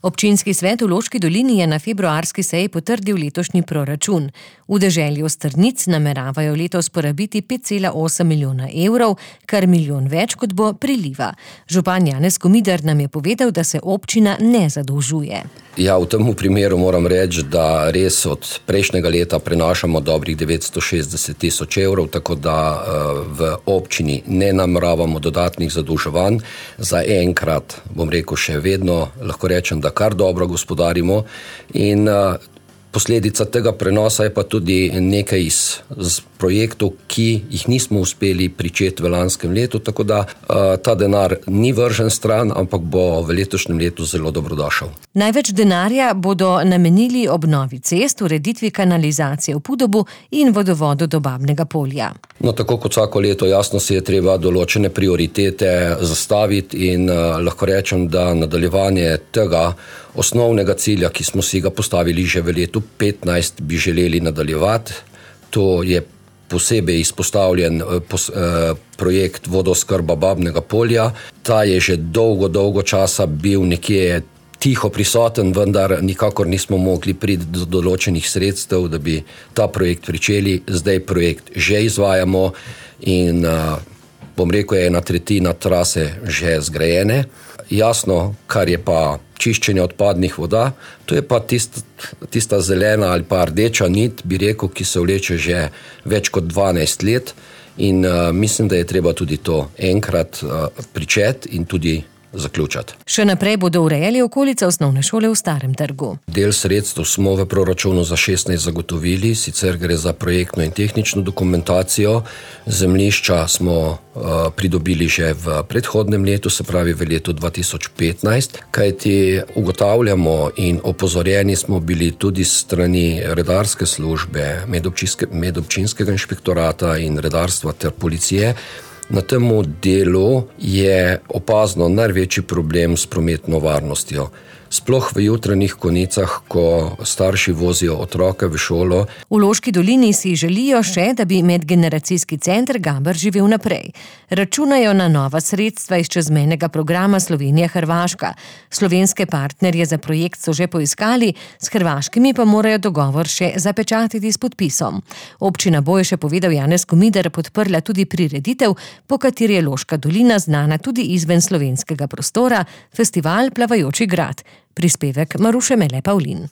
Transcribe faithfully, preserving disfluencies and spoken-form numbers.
Občinski svet v Loški dolini je na februarski seji potrdil letošnji proračun. V deželju Strnic nameravajo letos porabiti pet cela osem milijona evrov, kar milijon več kot bo priliva. Župan Janez Komidar nam je povedal, da se občina ne zadolžuje. Ja, v tem primeru moram reči, da res od prejšnjega leta prenašamo dobrih devetsto šestdeset tisoč evrov, tako da v občini ne nameravamo dodatnih zadolževanj. Za enkrat, bom rekel, še vedno lahko rečem, da kar dobro gospodarimo in posledica tega prenosa je pa tudi nekaj iz, iz projektov, ki jih nismo uspeli pričeti v lanskem letu, tako da uh, ta denar ni vržen stran, ampak bo v letošnjem letu zelo dobrodošel. Največ denarja bodo namenili obnovi cest, ureditvi kanalizacije v Podobu in vodovodu do Babnega Polja. No, tako kot vsako leto, jasno si je treba določene prioritete zastaviti in uh, lahko rečem, da nadaljevanje tega osnovnega cilja, ki smo si ga postavili že v letu petnajst, bi želeli nadaljevati. To je posebej izpostavljen pos, eh, projekt vodooskrba Babnega Polja. Ta je že dolgo, dolgo časa bil nekje tiho prisoten, vendar nikakor nismo mogli priti do določenih sredstev, da bi ta projekt pričeli. Zdaj projekt že izvajamo in eh, bom rekel, je ena tretjina trase že zgrajene. Jasno, kar je pa čiščenje odpadnih voda, to je pa tist, tista zelena ali pa rdeča nit, bi rekel, ki se vleče že več kot dvanajst let in uh, mislim, da je treba tudi to enkrat uh, pričeti in tudi zaključati. Še naprej bodo urejali okolico osnovne šole v Starem trgu. Del sredstev smo v proračunu za šestnajst zagotovili, sicer gre za projektno in tehnično dokumentacijo. Zemljišča smo uh, pridobili že v predhodnem letu, se pravi v letu dva tisoč petnajst, kajti ugotavljamo in opozorjeni smo bili tudi s strani redarske službe, medobčinske, medobčinskega inšpektorata in redarstva ter policije. Na tem delu je opazno največji problem s prometno varnostjo. Sploh v jutranjih konicah, ko starši vozijo otroke v šolo. V Loški dolini si želijo še, da bi medgeneracijski center Gaber živel naprej. Računajo na nova sredstva iz čezmejnega programa Slovenija-Hrvaška. Slovenske partnerje za projekt so že poiskali, s hrvaškimi pa morajo dogovor še zapečatiti s podpisom. Občina bo, je še povedal Janez Komidar, podprla tudi prireditev, po kateri je Loška dolina znana tudi izven slovenskega prostora, festival Plavajoči grad. Prispevek Maruše Mele Pavlin.